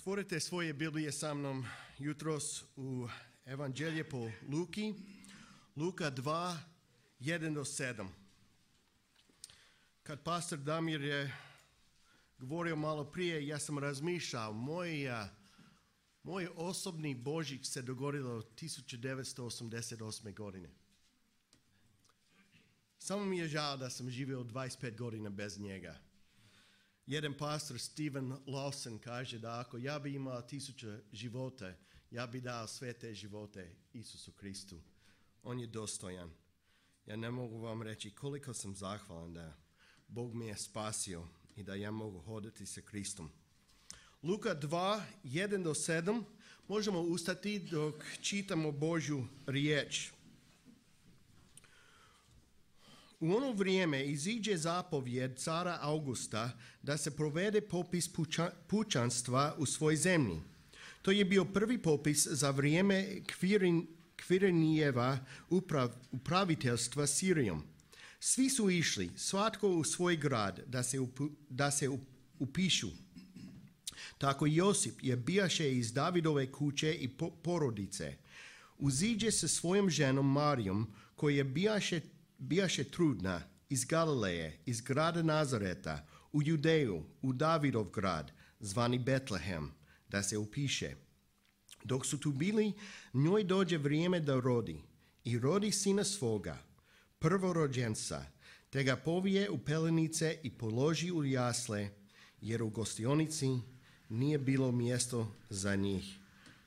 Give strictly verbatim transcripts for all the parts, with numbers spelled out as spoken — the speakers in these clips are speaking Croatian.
Otvorite svoje Biblije sa mnom jutros u Evanđelje po Luki, Luka dva, jedan do sedam. Kad pastor Damir je govorio malo prije, ja sam razmišljao, moj, moj osobni Božić se dogodilo tisuću devetsto osamdeset osme. godine. Samo mi je žao da sam živio dvadeset pet godina bez njega. Jedan pastor, Steven Lawson, kaže da ako ja bi imao tisuću života, ja bi dao sve te živote Isusu Kristu. On je dostojan. Ja ne mogu vam reći koliko sam zahvalan da Bog me je spasio i da ja mogu hodati sa Kristom. Luka dva, jedan do sedam. Možemo ustati dok čitamo Božju riječ. U ono vrijeme iziđe zapovjed cara Augusta da se provede popis puča, pučanstva u svoj zemlji. To je bio prvi popis za vrijeme Kvirin, Kvirinijeva uprav, upraviteljstva Sirijom. Svi su išli, svatko u svoj grad, da se, upu, da se upišu. Tako Josip je bijaše iz Davidove kuće i po, porodice. Uziđe sa svojom ženom Marijom, koja je bijaše Bijaše trudna iz Galileje, iz grada Nazareta, u Judeju, u Davidov grad, zvani Betlehem, da se upiše. Dok su tu bili, njoj dođe vrijeme da rodi i rodi sina svoga, prvorođenca, te ga povije u pelenice i položi u jasle, jer u gostionici nije bilo mjesto za njih.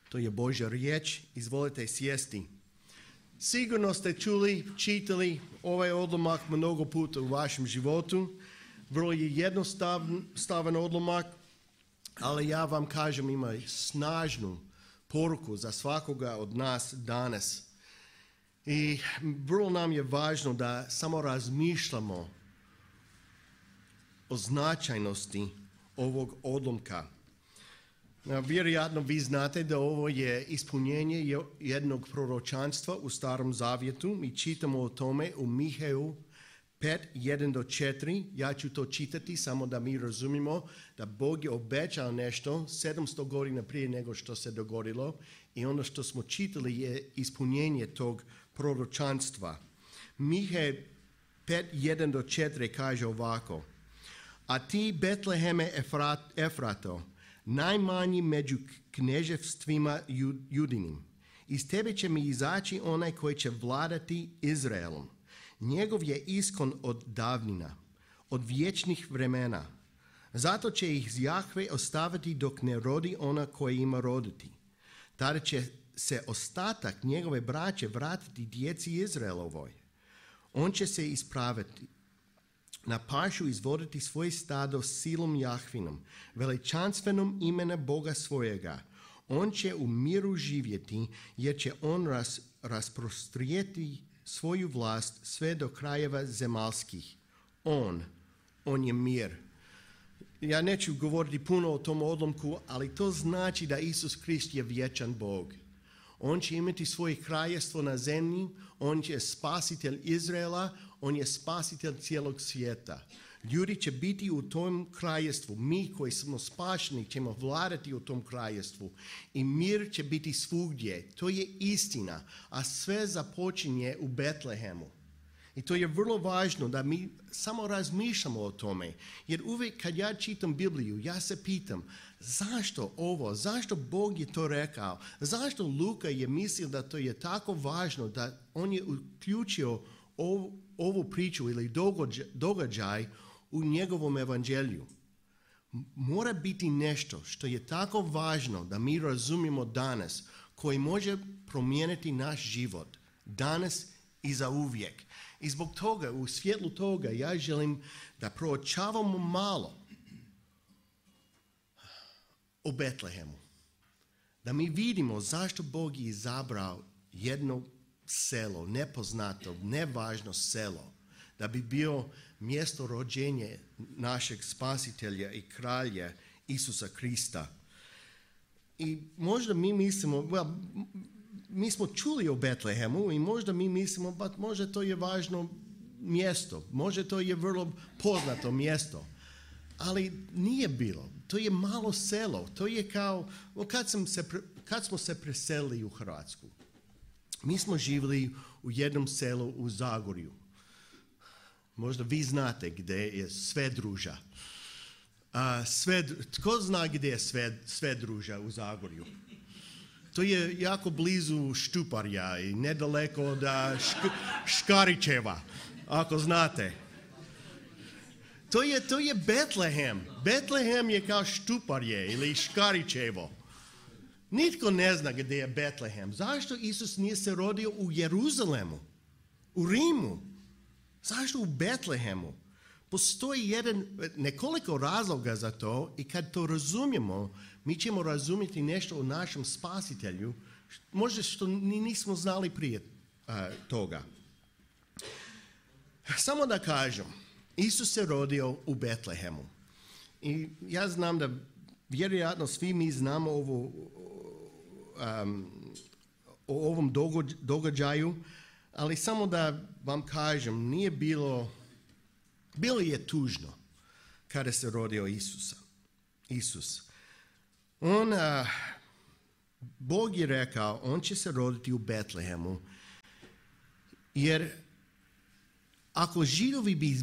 To je Božja riječ, izvolite sjesti. Sigurno ste čuli, čitali ovaj odlomak mnogo puta u vašem životu. Vrlo je jednostavan odlomak, ali ja vam kažem ima snažnu poruku za svakoga od nas danas. I vrlo nam je važno da samo razmišljamo o značajnosti ovog odlomka. Vjerojatno vi znate da ovo je ispunjenje jednog proročanstva u Starom Zavjetu. Mi čitamo o tome u Miheju pet, jedan do četiri. Ja ću to čitati samo da mi razumimo da Bog je obećao nešto sedamsto godina prije nego što se dogodilo i ono što smo čitali je ispunjenje tog proročanstva. Mihej pet, jedan do četiri kaže ovako: A ti, Betleheme Efrat, Efrato, najmanji među kneževstvima judinim, iz tebe će mi izaći onaj koji će vladati Izraelom. Njegov je iskon od davnina, od vječnih vremena. Zato će ih Jahve ostaviti dok ne rodi ona koja ima roditi. Tada će se ostatak njegove braće vratiti djeci Izraelovoj. On će se ispraviti, na pašu izvoditi svoje stado silom Jahvinom, veličanstvenom imena Boga svojega. On će u miru živjeti, jer će on ras, rasprostrijeti svoju vlast sve do krajeva zemalskih. On, on je mir. Ja neću govoriti puno o tom odlomku, ali to znači da Isus Krist je vječan Bog. On će imati svoje kraljevstvo na zemlji, on je spasitelj Izraela, on je spasitelj cijelog svijeta. Ljudi će biti u tom kraljevstvu, mi koji smo spašeni ćemo vladati u tom kraljevstvu i mir će biti svugdje. To je istina, a sve započinje u Betlehemu. I to je vrlo važno da mi samo razmišljamo o tome, jer uvijek kad ja čitam Bibliju, ja se pitam zašto ovo, zašto Bog je to rekao, zašto Luka je mislio da to je tako važno da on je uključio ovu, ovu priču ili događaj, događaj u njegovom evanđelju. Mora biti nešto što je tako važno da mi razumijemo danas, koji može promijeniti naš život danas i za uvijek. I zbog toga, u svjetlu toga, ja želim da proučavamo malo o Betlehemu. Da mi vidimo zašto Bog je izabrao jedno selo, nepoznato, nevažno selo, da bi bio mjesto rođenja našeg spasitelja i kralja Isusa Krista. I možda mi mislimo, well, mi smo čuli o Betlehemu i možda mi mislimo, ba, možda to je važno mjesto, možda to je vrlo poznato mjesto. ali nije bilo. To je malo selo. To je kao kad, sam se, kad smo se preselili u Hrvatsku. Mi smo živjeli u jednom selu u Zagorju. Možda vi znate gdje je Svedruža. A, sved, tko zna gdje je sved, Svedruža u Zagorju? To je jako blizu Štuparja i nedaleko od šk, Škarićeva, ako znate. To je, to je Betlehem. Betlehem je kao Štuparje ili Škarićevo. Nitko ne zna gdje je Betlehem. Zašto Isus nije se rodio u Jeruzalemu, u Rimu? Zašto u Betlehemu? Postoji jedan, nekoliko razloga za to i kad to razumijemo, mi ćemo razumjeti nešto o našem spasitelju, možda što ni nismo znali prije uh, toga. Samo da kažem, Isus se rodio u Betlehemu. I ja znam da vjerojatno svi mi znamo ovo, um, o ovom događaju, ali samo da vam kažem, nije bilo, bilo je tužno kada se rodio Isusa. Isus. On, uh, Bog je rekao, on će se roditi u Betlehemu, jer ako Židovi bi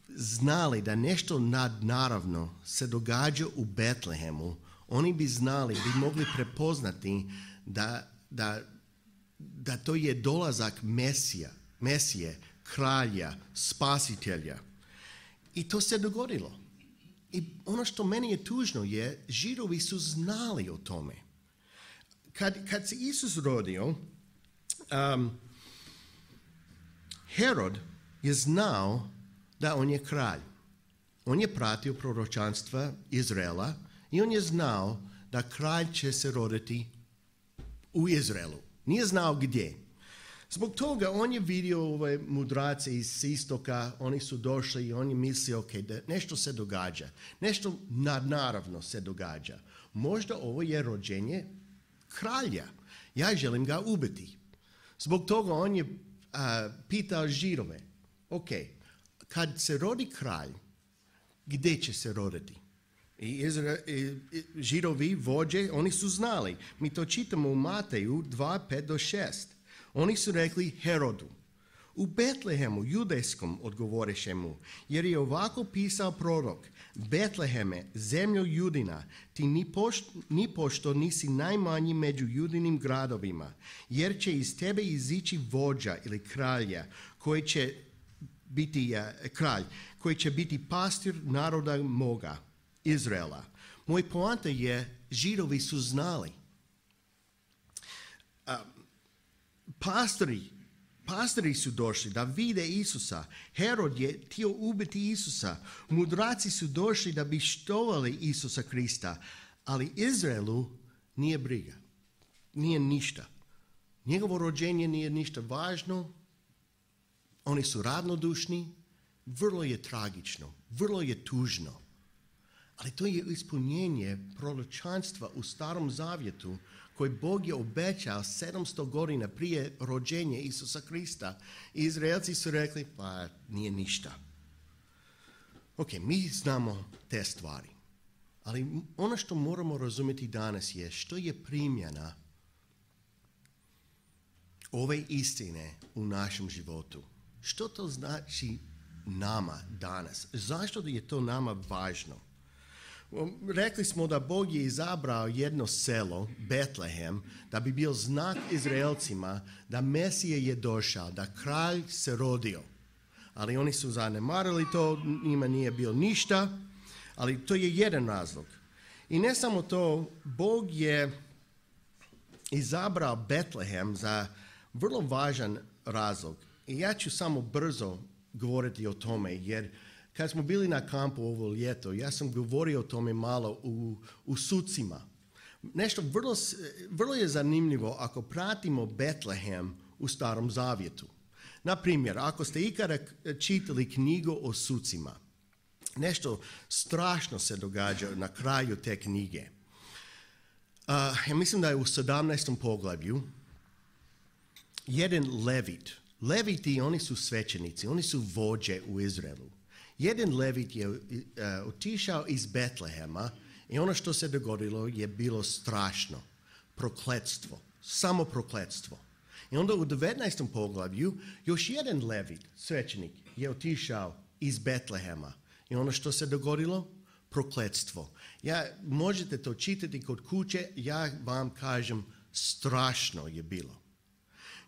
znali da nešto nadnaravno se događa u Betlehemu, oni bi znali, bi mogli prepoznati da, da, da to je dolazak Mesija, Mesije, kralja, spasitelja. I to se dogodilo. I ono što meni je tužno je, Židovi su znali o tome. Kad, kad se Isus rodio, um, Herod je znao da on je kralj. On je pratio proročanstva Izraela i on je znao da kralj će se roditi u Izraelu. Nije znao gdje. Zbog toga on je vidio ove mudrace iz istoka, oni su došli i on je mislio, ok, da nešto se događa. Nešto nadnaravno se događa. Možda ovo je rođenje kralja. Ja želim ga ubiti. Zbog toga on je a, pitao Židove, ok, kad se rodi kralj, gdje će se roditi? I, Izra, i, i Židovi, vođe, oni su znali. Mi to čitamo u Mateju dva, pet do šest. Oni su rekli Herodu. U Betlehemu, judejskom, odgovoreše mu, jer je ovako pisao prorok, Betleheme, zemljo Judina, ti ni pošto, ni pošto nisi najmanji među judinim gradovima, jer će iz tebe izići vođa ili kralja, koji će biti uh, kralj, koji će biti pastir naroda moga, Izraela. Moj poanta je, Židovi su znali. Uh, pastori, pastori su došli da vide Isusa. Herod je htio ubiti Isusa. Mudraci su došli da bi štovali Isusa Krista. Ali Izraelu nije briga. Nije ništa. Njegovo rođenje nije ništa važno. Oni su ravnodušni. Vrlo je tragično. Vrlo je tužno. Ali to je ispunjenje proročanstva u Starom Zavjetu koji Bog je obećao sedamsto godina prije rođenja Isusa Krista. I Izraelci su rekli, pa nije ništa. Ok, mi znamo te stvari. Ali ono što moramo razumjeti danas je što je primjena ove istine u našem životu. Što to znači nama danas? Zašto je to nama važno? Rekli smo da Bog je izabrao jedno selo, Betlehem, da bi bio znak Izraelcima da Mesija je došao, da kralj se rodio. Ali oni su zanemarili to, njima nije bilo ništa, ali to je jedan razlog. I ne samo to, Bog je izabrao Betlehem za vrlo važan razlog. I ja ću samo brzo govoriti o tome, jer kad smo bili na kampu ovo ljeto, ja sam govorio o tome malo u, u Sucima. Nešto vrlo, vrlo je zanimljivo ako pratimo Betlehem u Starom Zavjetu. Na primjer, ako ste ikada čitali knjigu o Sucima, nešto strašno se događa na kraju te knjige. Uh, ja mislim da je u sedamnaestom poglavlju jedan Levit. Leviti, oni su svećenici, oni su vođe u Izraelu. Jedan levit je uh, otišao iz Betlehema i ono što se dogodilo je bilo strašno. Prokletstvo. Samo prokletstvo. I onda u devetnaestom poglavlju još jedan levit, svećenik, je otišao iz Betlehema. I ono što se dogodilo? Prokletstvo. Ja, možete to čitati kod kuće, ja vam kažem, strašno je bilo.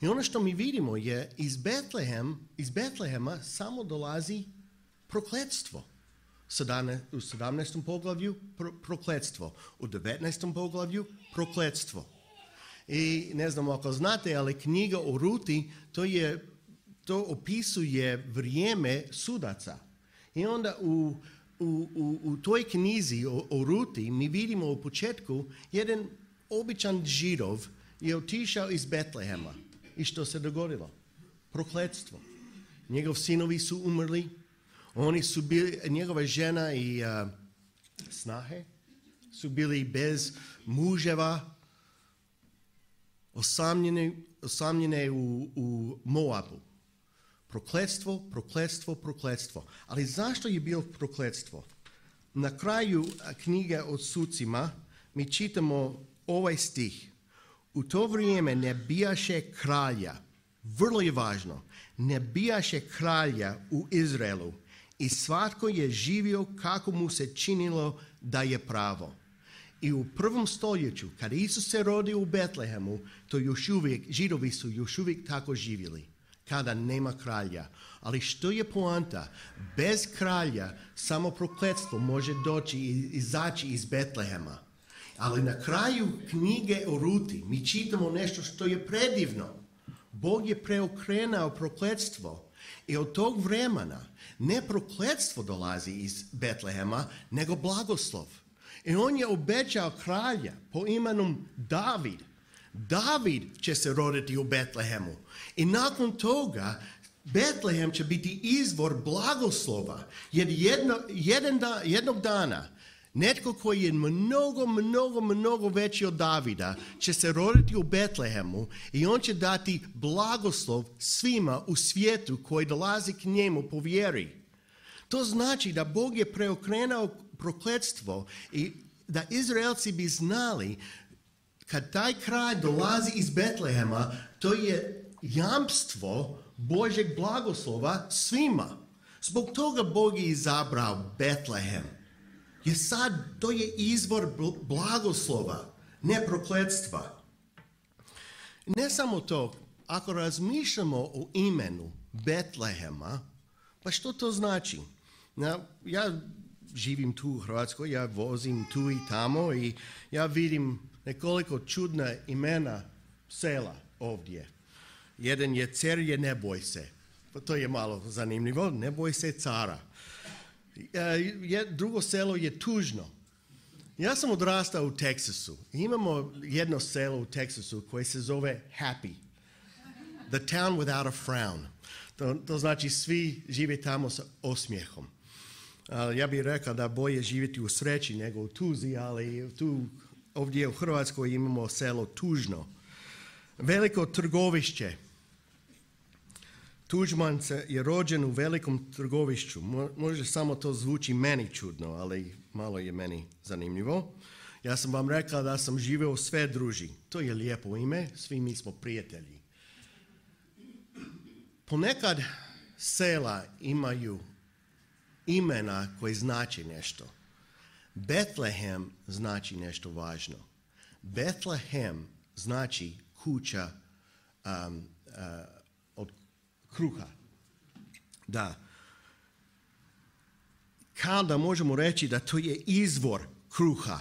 I ono što mi vidimo je iz, Betlehem, iz Betlehema samo dolazi prokletstvo. U sedamnaestom poglavlju pro, prokletstvo. U devetnaestom poglavlju prokletstvo. I ne znam ako znate, ali knjiga o Ruti, to, je, to opisuje vrijeme sudaca. I onda u, u, u, u toj knjizi o, o Ruti mi vidimo u početku jedan običan Židov je otišao iz Betlehema. I što se dogodilo? Prokletstvo. Njegov sinovi su umrli, oni su bili, njegova žena i uh, snahe su bili bez muževa, osamljene, osamljene u, u Moabu. Prokletstvo, prokletstvo, prokletstvo. Ali zašto je bilo prokletstvo? Na kraju knjige o sucima mi čitamo ovaj stih. U to vrijeme ne bijaše kralja, vrlo je važno, ne bijaše kralja u Izraelu i svatko je živio kako mu se činilo da je pravo. I u prvom stoljeću, kad Isus se rodio u Betlehemu, to još uvijek, Židovi su još uvijek tako živjeli, kada nema kralja. Ali što je poanta? Bez kralja samo prokletstvo može doći i izaći iz Betlehema. Ali na kraju knjige o Ruti mi čitamo nešto što je predivno. Bog je preokrenuo prokletstvo i od tog vremena ne prokletstvo dolazi iz Betlehema, nego blagoslov. I on je obećao kralja po imenom David. David će se roditi u Betlehemu. I nakon toga Betlehem će biti izvor blagoslova. Jer jedno, jedan da, jednog dana netko koji je mnogo, mnogo, mnogo veći od Davida će se roditi u Betlehemu i on će dati blagoslov svima u svijetu koji dolazi k njemu po vjeri. To znači da Bog je preokrenuo prokletstvo i da Izraelci bi znali kad taj kraj dolazi iz Betlehema, to je jamstvo Božjeg blagoslova svima. Zbog toga Bog je izabrao Betlehem. Jer sad to je izvor blagoslova, ne prokletstva. Ne samo to, ako razmišljamo o imenu Betlehema, pa što to znači? Ja živim tu u Hrvatskoj, ja vozim tu i tamo i ja vidim nekoliko čudna imena sela ovdje. Jedan je Cerje, ne boj se. To je malo zanimljivo, ne boj se cara. Drugo selo je Tužno. Ja sam odrastao u Teksasu. Imamo jedno selo u Teksasu koje se zove Happy. The town without a frown. To, to znači svi žive tamo sa osmijehom. Uh, ja bih rekao da bolje živjeti u sreći nego u tuzi, ali tu ovdje u Hrvatskoj imamo selo Tužno. Veliko trgovišće. Tuđman je rođen u velikom trgovišću. Možda samo to zvuči meni čudno, ali malo je meni zanimljivo. Ja sam vam rekao da sam živio u Sve druži. To je lijepo ime, svi mi smo prijatelji. Ponekad sela imaju imena koji znači nešto. Betlehem znači nešto važno. Betlehem znači kuća um, uh, od kruha. Da. Kao da možemo reći da to je izvor kruha.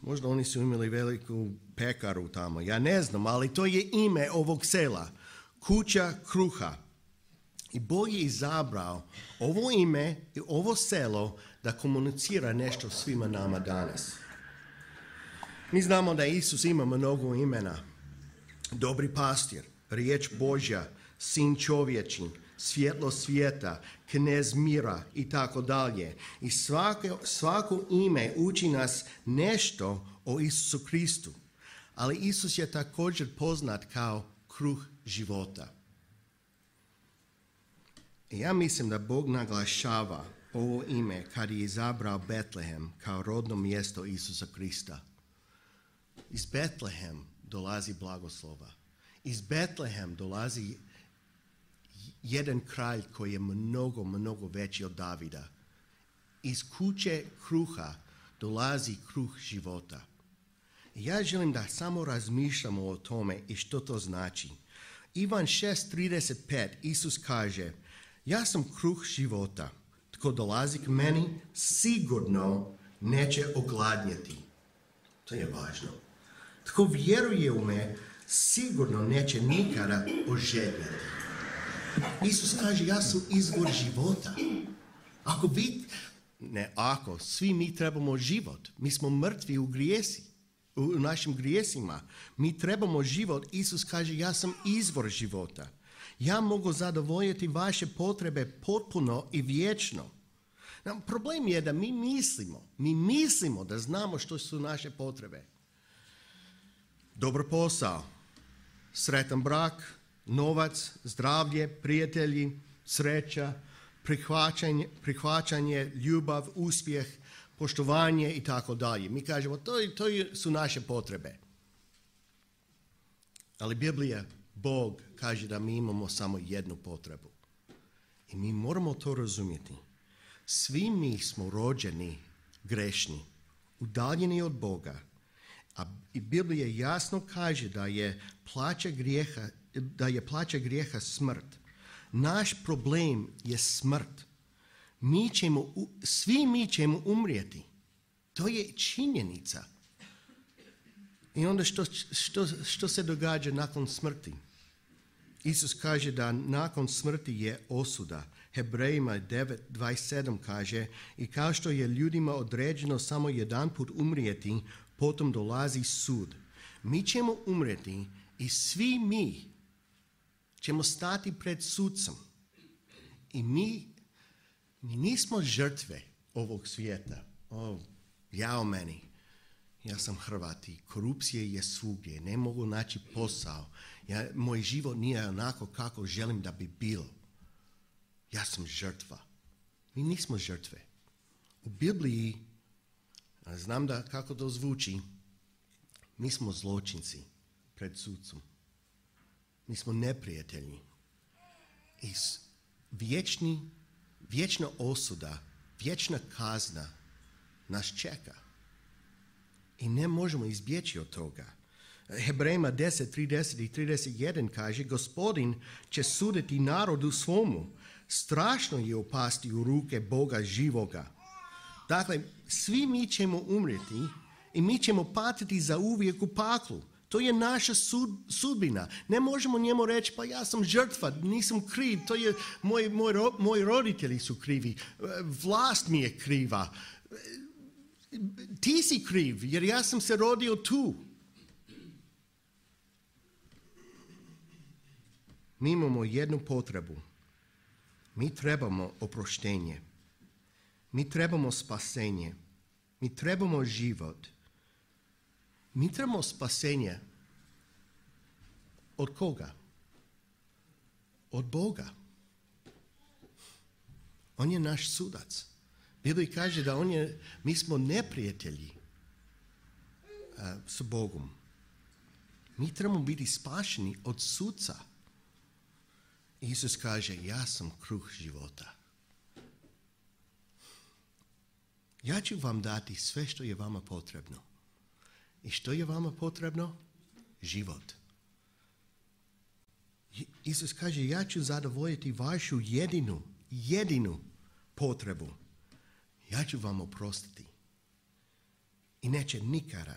Možda oni su imali veliku pekaru tamo. Ja ne znam, ali to je ime ovog sela. Kuća kruha. I Bog je izabrao ovo ime i ovo selo da komunicira nešto svima nama danas. Mi znamo da Isus ima mnogo imena. Dobri pastir, riječ Božja, sin čovječin, svjetlo svijeta, knez mira i tako dalje. I svako, svako ime uči nas nešto o Isusu Kristu. Ali Isus je također poznat kao kruh života. I ja mislim da Bog naglašava ovo ime kad je izabrao Betlehem kao rodno mjesto Isusa Krista. Iz Betlehem dolazi blagoslova. Iz Betlehem dolazi jedan kralj koji je mnogo, mnogo veći od Davida. Iz kuće kruha dolazi kruh života. Ja želim da samo razmišljamo o tome i što to znači. Ivan šest trideset pet Isus kaže: ja sam kruh života. Tko dolazi k meni sigurno neće ogladnjeti. To je važno. Tko vjeruje u me sigurno neće nikada ožedjeti. Isus kaže: ja sam izvor života. Ako vi, ne ako, svi mi trebamo život. Mi smo mrtvi u grijesi, u našim grijesima. Mi trebamo život. Isus kaže: ja sam izvor života. Ja mogu zadovoljiti vaše potrebe potpuno i vječno. No, problem je da mi mislimo, mi mislimo da znamo što su naše potrebe. Dobar posao, sretan brak, novac, zdravlje, prijatelji, sreća, prihvaćanje, prihvaćanje, ljubav, uspjeh, poštovanje i tako dalje. Mi kažemo to, to su naše potrebe. Ali Biblija, Bog kaže da mi imamo samo jednu potrebu. I mi moramo to razumjeti. Svi mi smo rođeni grešni, udaljeni od Boga. A Biblija jasno kaže da je plaća grijeha, da je plaća grijeha smrt. Naš problem je smrt. Mi ćemo, svi mi ćemo umrijeti. To je činjenica. I onda što, što, što se događa nakon smrti? Isus kaže da nakon smrti je osuda. Hebrejima devet dvadeset sedam kaže: i kao što je ljudima određeno samo jedan put umrijeti, potom dolazi sud. Mi ćemo umrijeti i svi mi ćemo stati pred sudcem. I mi, mi nismo žrtve ovog svijeta. O, jao meni. Ja sam Hrvat i korupcija je svugdje. Ne mogu naći posao. Ja, moj život nije onako kako želim da bi bilo. Ja sam žrtva. Mi nismo žrtve. U Bibliji, znam da kako to zvuči, mi smo zločinci pred sudcem. Mi smo neprijatelji. I vječni, vječna osuda, vječna kazna nas čeka. I ne možemo izbjeći od toga. Hebrejima deset trideset i trideset jedan kaže: Gospodin će suditi narodu svomu. Strašno je upasti u ruke Boga živoga. Dakle, svi mi ćemo umrijeti i mi ćemo patiti za uvijek u paklu. To je naša sud, sudbina. Ne možemo njemu reći: pa ja sam žrtva, nisam kriv, to je, moj, moj, moji roditelji su krivi, vlast mi je kriva. Ti si kriv jer ja sam se rodio tu. Mi imamo jednu potrebu. Mi trebamo oproštenje. Mi trebamo spasenje. Mi trebamo život. Mi trebamo spasenje. Od koga? Od Boga. On je naš sudac. Biblija kaže da on je, mi smo neprijatelji uh, s Bogom. Mi trebamo biti spašeni od sudca. Isus kaže: ja sam kruh života. Ja ću vam dati sve što je vama potrebno. I što je vama potrebno? Život. Isus kaže: ja ću zadovoljiti vašu jedinu, jedinu potrebu. Ja ću vam oprostiti. I neće nikada,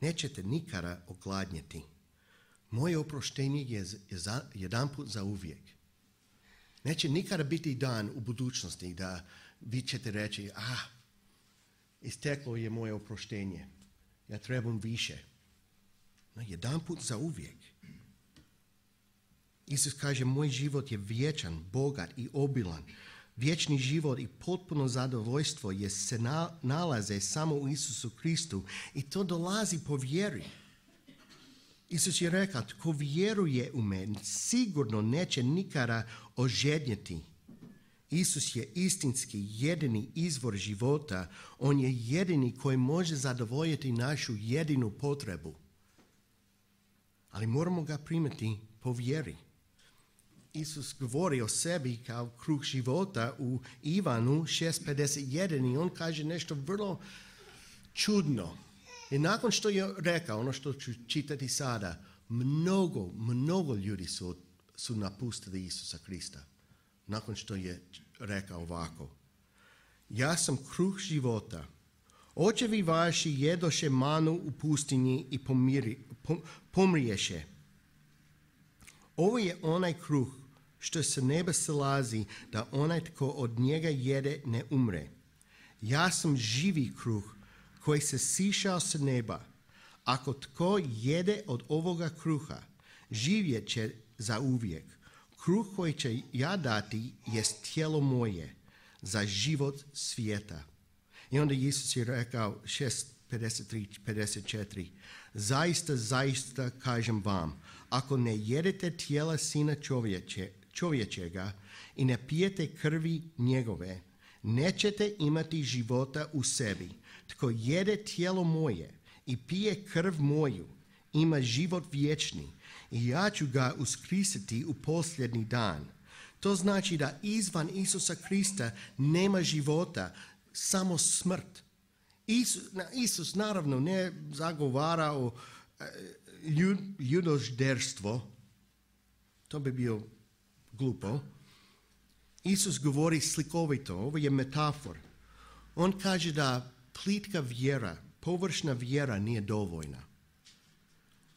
nećete nikada ogladnjeti. Moje oproštenje je za, jedan put za uvijek. Neće nikada biti dan u budućnosti da vi ćete reći: ah, isteklo je moje oproštenje. Ja trebam više. No, jedan put za uvijek. Isus kaže: moj život je vječan, bogat i obilan. Vječni život i potpuno zadovoljstvo je se na, nalaze samo u Isusu Kristu i to dolazi po vjeri. Isus je rekao: tko vjeruje u mene sigurno neće nikada ožedjeti. Isus je istinski jedini izvor života. On je jedini koji može zadovoljiti našu jedinu potrebu. Ali moramo ga primiti po vjeri. Isus govori o sebi kao kruh života u Ivanu šest pedeset jedan i on kaže nešto vrlo čudno. I nakon što je rekao, ono što ću čitati sada, mnogo, mnogo ljudi su, su napustili Isusa Krista. Nakon što je rekao ovako. Ja sam kruh života. Očevi vaši jedoše manu u pustinji i pomiri, pom, pomriješe. Ovo je onaj kruh što se neba silazi, da onaj tko od njega jede ne umre. Ja sam živi kruh koji se sišao s neba. Ako tko jede od ovoga kruha, živjet će za uvijek. Kruh koji će ja dati jest tijelo moje za život svijeta. I onda Isus je rekao šest pedeset tri pedeset četiri. Zaista, zaista kažem vam, ako ne jedete tijela Sina čovječe, čovječega i ne pijete krvi njegove, nećete imati života u sebi. Tko jede tijelo moje i pije krv moju, ima život vječni i ja ću ga uskrsiti u posljednji dan. To znači da izvan Isusa Krista nema života, samo smrt. Isus, Isus naravno ne zagovara o ljud, ljudožderstvo, to bi bio glupo. Isus govori slikovito, ovo je metafor. On kaže da plitka vjera, površna vjera nije dovoljna.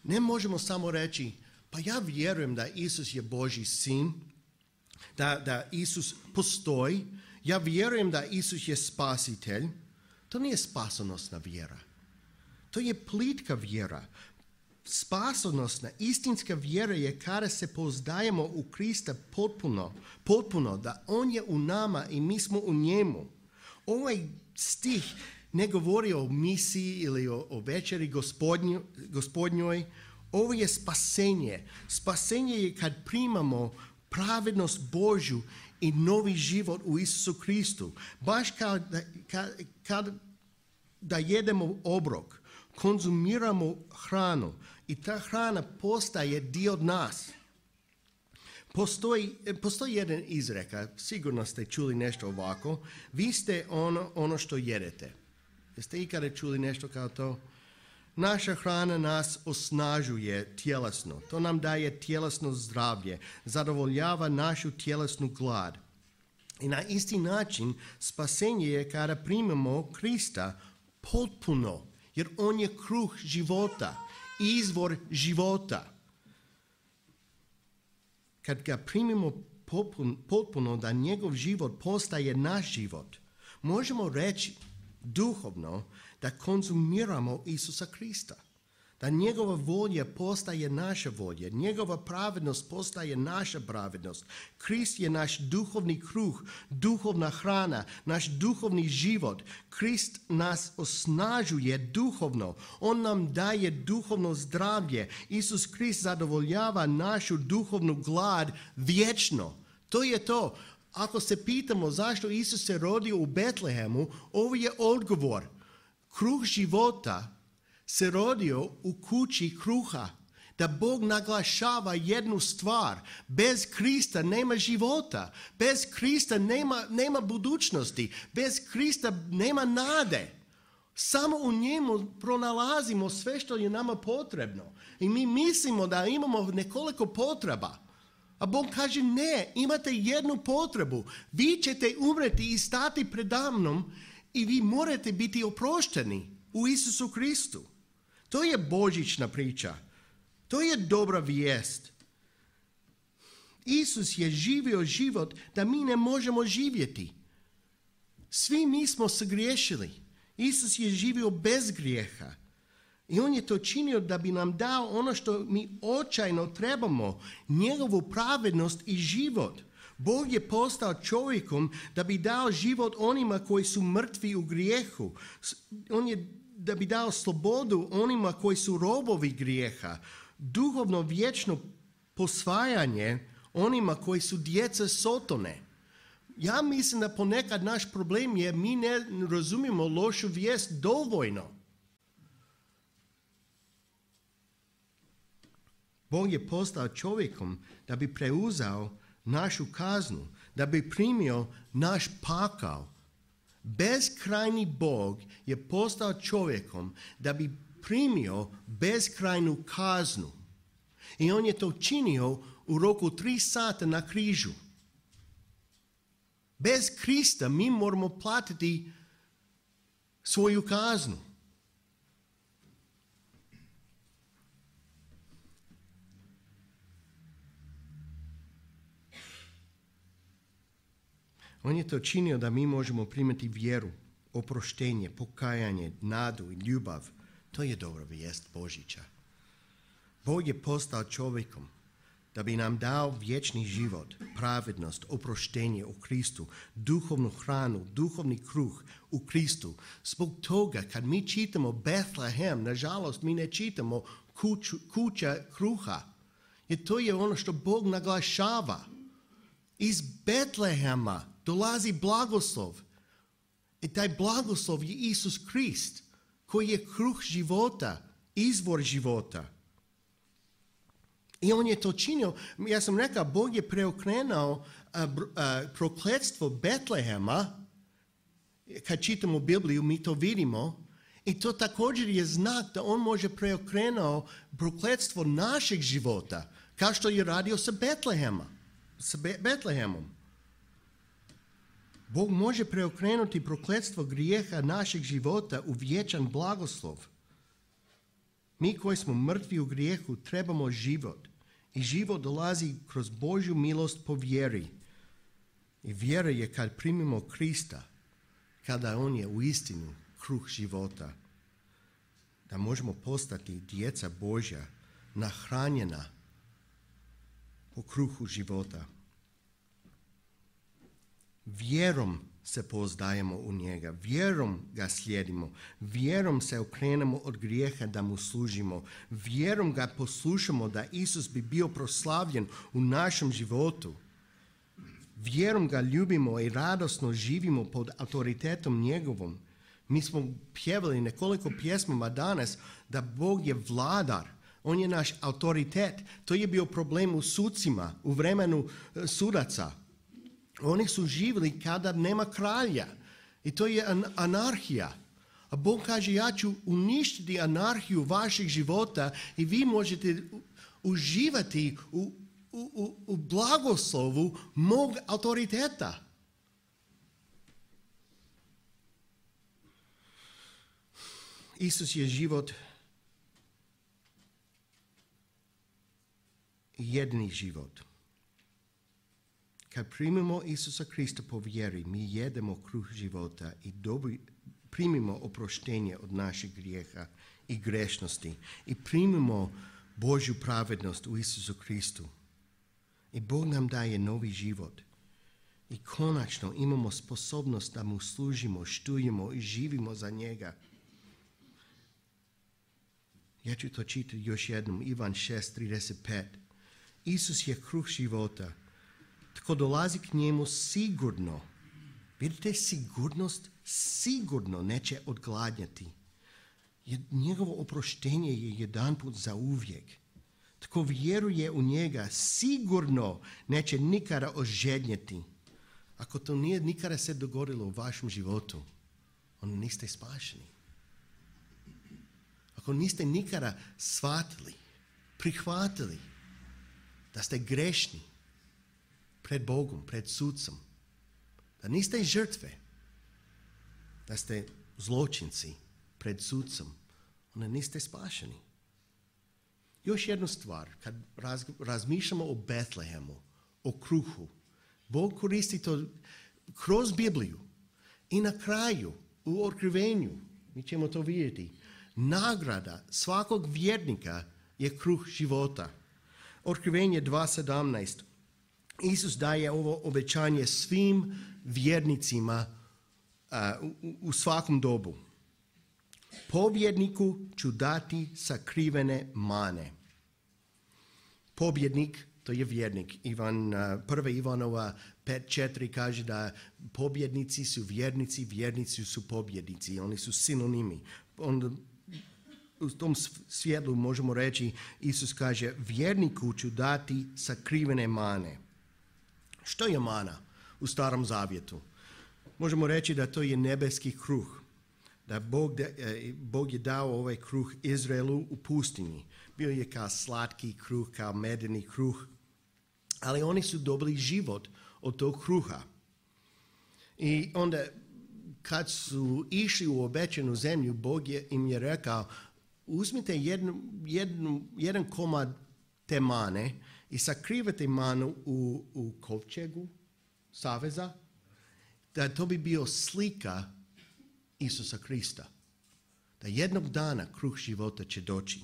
Ne možemo samo reći, pa ja vjerujem da Isus je Božji sin, da, da Isus postoji, ja vjerujem da Isus je spasitelj. To nije spasonosna vjera. To je plitka vjera. Spasonosna, istinska vjera je kada se pouzdajemo u Krista potpuno, potpuno, da On je u nama i mi smo u njemu. Ovaj stih ne govori o misiji ili o, o večeri gospodnju, gospodnjoj. Ovo je spasenje. Spasenje je kad primamo pravednost Božju i novi život u Isusu Kristu. Baš kao da, kad, kad, da jedemo obrok, konzumiramo hranu i ta hrana postaje dio od nas. Postoji, postoji jedan izreka, sigurno ste čuli nešto ovako, vi ste ono, ono što jedete. Jeste ikada čuli nešto kao to? Naša hrana nas osnažuje tjelesno. To nam daje tjelesno zdravlje, zadovoljava našu tjelesnu glad. I na isti način spasenje je kada primamo Krista potpuno, jer On je kruh života, izvor života. Kad ga primimo potpuno, da njegov život postaje naš život, možemo reći duhovno da konzumiramo Isusa Krista. Da njegova volja postaje naša volja, njegova pravednost postaje naša pravednost. Krist je naš duhovni kruh, duhovna hrana, naš duhovni život. Krist nas osnažuje duhovno, On nam daje duhovno zdravlje. Isus Krist zadovoljava našu duhovnu glad vječno. To je to. Ako se pitamo zašto Isus se rodio u Betlehemu, ovo je odgovor. Kruh života se rodio u kući kruha, da Bog naglašava jednu stvar. Bez Krista nema života, bez Krista nema, nema budućnosti, bez Krista nema nade. Samo u njemu pronalazimo sve što je nama potrebno. I mi mislimo da imamo nekoliko potreba. A Bog kaže ne, imate jednu potrebu. Vi ćete umreti i stati predamnom i vi morate biti oprošteni u Isusu Kristu. To je božićna priča. To je dobra vijest. Isus je živio život da mi ne možemo živjeti. Svi mi smo sagriješili. Isus je živio bez grijeha. I On je to činio da bi nam dao ono što mi očajno trebamo, njegovu pravednost i život. Bog je postao čovjekom da bi dao život onima koji su mrtvi u grijehu. On je da bi dao slobodu onima koji su robovi grijeha. Duhovno vječno posvajanje onima koji su djeca Sotone. Ja mislim da ponekad naš problem je mi ne razumijemo lošu vijest dovoljno. Bog je postao čovjekom da bi preuzeo našu kaznu, da bi primio naš pakao. Bezkrajni Bog je postao čovjekom da bi primio bezkrajnu kaznu. I on je to činio u roku tri sata na križu. Bez Krista mi moramo platiti svoju kaznu. On je to činio da mi možemo primiti vjeru, oproštenje, pokajanje, nadu i ljubav. To je dobra vijest Božića. Bog je postao čovjekom da bi nam dao vječni život, pravednost, oproštenje u Kristu, duhovnu hranu, duhovni kruh u Kristu. Zbog toga kad mi čitamo Betlehem, nažalost mi ne čitamo kuću, kuća kruha. Jer to je ono što Bog naglašava. Iz Betlehema dolazi blagoslov. I taj blagoslov je Isus Krist, koji je kruh života, izvor života. I on je to činio. Ja sam rekao, Bog je preokrenuo prokletstvo Betlehema. Kad čitamo Bibliju, mi to vidimo. I to također je znak da on može preokrenuo prokletstvo našeg života, kao što je radio sa Betlehema, sa Be- Betlehemom. Bog može preokrenuti prokletstvo grijeha našeg života u vječan blagoslov. Mi koji smo mrtvi u grijehu trebamo život. I život dolazi kroz Božju milost po vjeri. I vjera je kad primimo Krista, kada on je u istinu kruh života. Da možemo postati djeca Božja, nahranjena po kruhu života. Vjerom se pouzdajemo u njega, vjerom ga slijedimo, vjerom se okrenemo od grijeha da mu služimo, vjerom ga poslušamo da Isus bi bio proslavljen u našem životu. Vjerom ga ljubimo i radosno živimo pod autoritetom njegovom. Mi smo pjevali nekoliko pjesmama danas da Bog je vladar, on je naš autoritet. To je bio problem u sucima, u vremenu sudaca. Oni su živjeli kada nema kralja. I to je an- anarhija. A Bog kaže, ja ću uništiti anarhiju vašeg života i vi možete uživati u, u, u, u blagoslovu mog autoriteta. Isus je život, jedini život. Kad primimo Isusa Krista po vjeri, mi jedemo kruh života i dobi, primimo oproštenje od naših grijeha i grešnosti i primimo Božju pravednost u Isusu Kristu. I Bog nam daje novi život. I konačno imamo sposobnost da mu služimo, štujemo i živimo za njega. Ja ću to čitati još jednom, Ivan šest trideset pet. Isus je kruh života. Tko dolazi k njemu sigurno, vidite sigurnost, sigurno neće odgladnjati. Njegovo oproštenje je jedanput za uvijek. Tko vjeruje u njega sigurno neće nikada ožednjeti. Ako to nije nikada se dogodilo u vašem životu, onda niste spašeni. Ako niste nikada shvatili, prihvatili da ste grešni pred Bogom, pred sudcom, da niste žrtve, da ste zločinci pred sudcom, onda niste spašeni. Još jednu stvar, kad raz, razmišljamo o Betlehemu, o kruhu, Bog koristi to kroz Bibliju i na kraju, u otkrivenju, mi ćemo to vidjeti. Nagrada svakog vjernika je kruh života. Otkrivenje dva sedamnaest. Isus daje ovo obećanje svim vjernicima uh, u, u svakom dobu. Pobjedniku ću dati sakrivene mane. Pobjednik To je vjernik. Ivan, prva Ivanova pet četiri kaže da pobjednici su vjernici, vjernici su pobjednici. Oni su sinonimi. Onda u tom svjetlu možemo reći, Isus kaže, vjerniku ću dati sakrivene mane. Što je mana u Starom Zavjetu? Možemo reći da to je nebeski kruh. Da Bog, Bog je dao ovaj kruh Izraelu u pustinji. Bio je kao slatki kruh, kao medeni kruh. Ali oni su dobili život od tog kruha. I onda kad su išli u obećanu zemlju, Bog je, im je rekao, uzmite jednu, jednu, jedan komad te mane i sakrivate manu u, u kovčegu saveza, da to bi bio slika Isusa Krista. Da jednog dana kruh života će doći.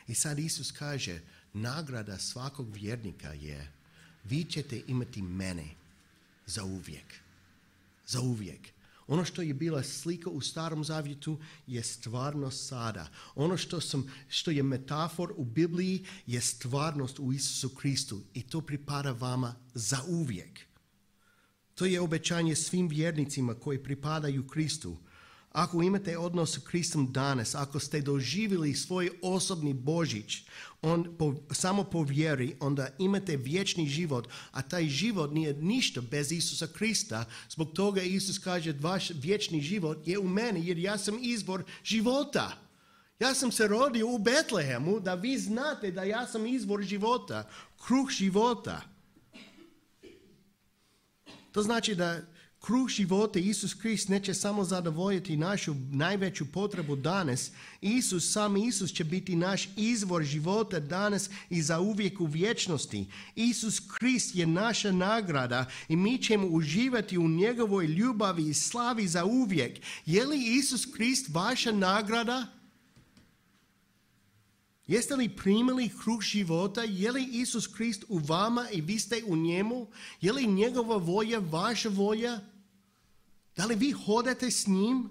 I sad Isus kaže, nagrada svakog vjernika je, vi ćete imati mene za uvijek. Za uvijek. Ono što je bila slika u Starom Zavjetu je stvarnost sada. Ono što, sam, što je metafor u Bibliji je stvarnost u Isusu Kristu. I to pripada vama za uvijek. To je obećanje svim vjernicima koji pripadaju Kristu. Ako imate odnos s Kristom danas, ako ste doživjeli svoj osobni Božić, on, po, samo po vjeri, onda imate vječni život, a taj život nije ništa bez Isusa Krista. Zbog toga Isus kaže, vaš vječni život je u meni, jer ja sam izvor života. Ja sam se rodio u Betlehemu, da vi znate da ja sam izvor života, kruh života. To znači da kruh života, Isus Krist, neće samo zadovoljiti našu najveću potrebu danas. Isus, sam Isus će biti naš izvor života danas i za uvijek u vječnosti. Isus Krist je naša nagrada i mi ćemo uživati u njegovoj ljubavi i slavi za uvijek. Je li Isus Krist vaša nagrada? Jeste li primili kruh života? Je li Isus Krist u vama i vi ste u njemu? Je li njegova volja vaša volja? Da li vi hodate s njim?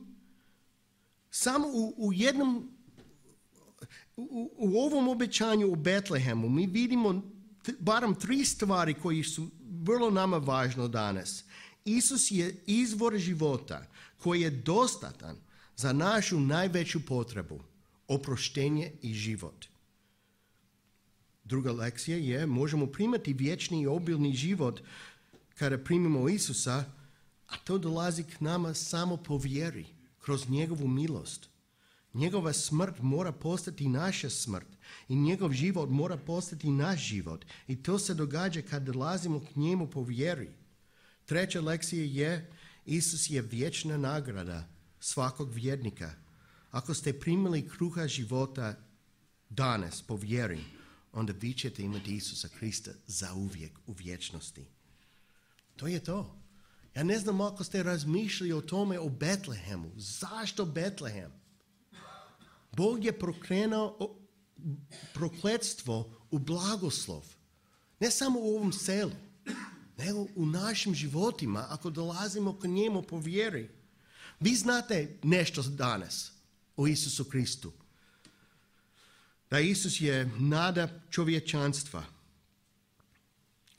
Samo u, u jednom, u, u ovom obećanju u Betlehemu mi vidimo t, barem tri stvari koje su vrlo nama važno danas. Isus je izvor života koji je dostatan za našu najveću potrebu, oproštenje i život. Druga lekcija je, možemo primati vječni i obilni život kada primimo Isusa, a to dolazi k nama samo po vjeri, kroz njegovu milost. Njegova smrt mora postati naša smrt i njegov život mora postati naš život. I to se događa kad dolazimo k njemu po vjeri. Treća lekcija je, Isus je vječna nagrada svakog vjernika. Ako ste primili kruha života danas po vjeri, onda vi ćete imati Isusa Krista zauvijek u vječnosti. To je to. Ja ne znam ako ste razmišljali o tome o Betlehemu. Zašto Betlehem? Bog je prokrenuo prokletstvo u blagoslov. Ne samo u ovom selu, nego u našim životima ako dolazimo k njemu po vjeri. Vi znate nešto danas o Isusu Kristu. Da Isus je nada čovječanstva,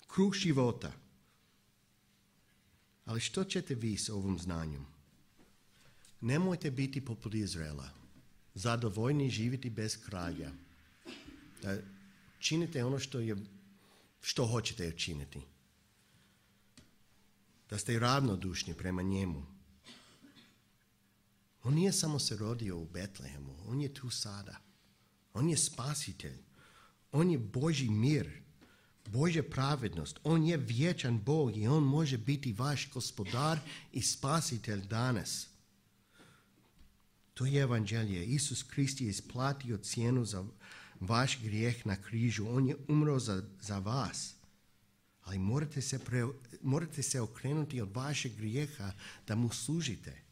kruh života. Ali što ćete vi s ovom znanjem? Nemojte biti poput Izraela, zadovoljni živjeti bez kralja. Da činite ono što, je, što hoćete činiti. Da ste ravnodušni prema njemu. On nije samo se rodio u Betlehemu, on je tu sada. On je spasitelj. On je Božji mir, Božja pravednost. On je vječan Bog i on može biti vaš gospodar i spasitelj danas. To je evanđelje. Isus Krist je isplatio cijenu za vaš grijeh na križu. On je umro za, za vas. Ali morate se, pre, morate se okrenuti od vašeg grijeha da mu služite.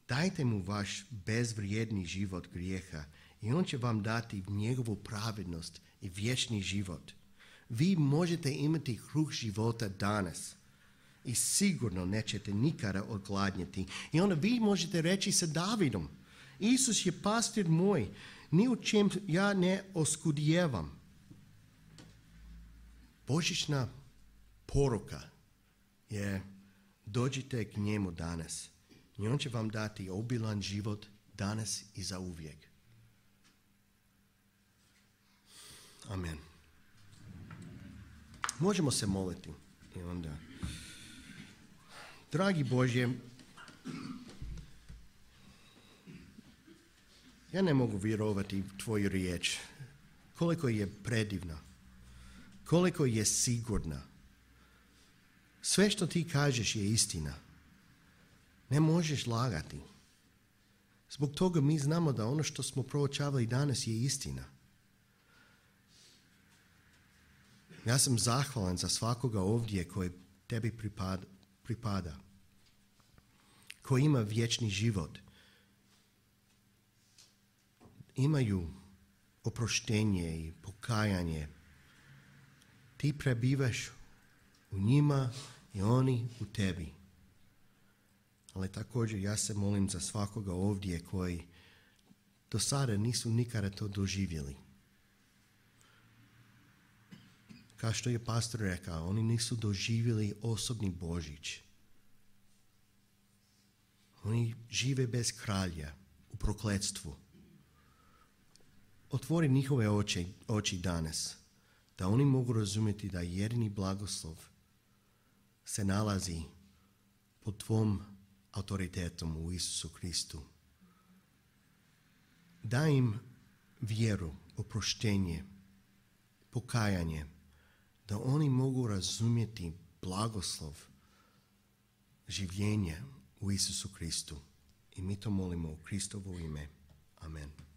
Dajte mu vaš bezvrijedni život grijeha i on će vam dati njegovu pravednost i vječni život. Vi možete imati kruh života danas i sigurno nećete nikada odgladnjeti. I onda vi možete reći sa Davidom, Isus je pastir moj, ni u čem ja ne oskudijevam. Božićna poruka je dođite k njemu danas i on će vam dati obilan život danas i zauvijek. Amen. Možemo se moliti i onda. Dragi Bože, ja ne mogu vjerovati tvoju riječ, koliko je predivna, koliko je sigurna. Sve što ti kažeš je istina. Ne možeš lagati. Zbog toga mi znamo da ono što smo proučavali danas je istina. Ja sam zahvalan za svakoga ovdje koji tebi pripada, pripada, koji ima vječni život. Imaju oproštenje i pokajanje. Ti prebivaš u njima i oni u tebi. Ali također ja se molim za svakoga ovdje koji do sada nisu nikada to doživjeli. Kao što je pastor rekao, oni nisu doživjeli osobni Božić. Oni žive bez kralja, u prokletstvu. Otvori njihove oči, oči danas, da oni mogu razumjeti da jedini blagoslov se nalazi pod tvom autoritetom u Isusu Kristu. Daj im vjeru, oproštenje, pokajanje, da oni mogu razumjeti blagoslov življenja u Isusu Kristu. I mi to molimo u Kristovo ime. Amen.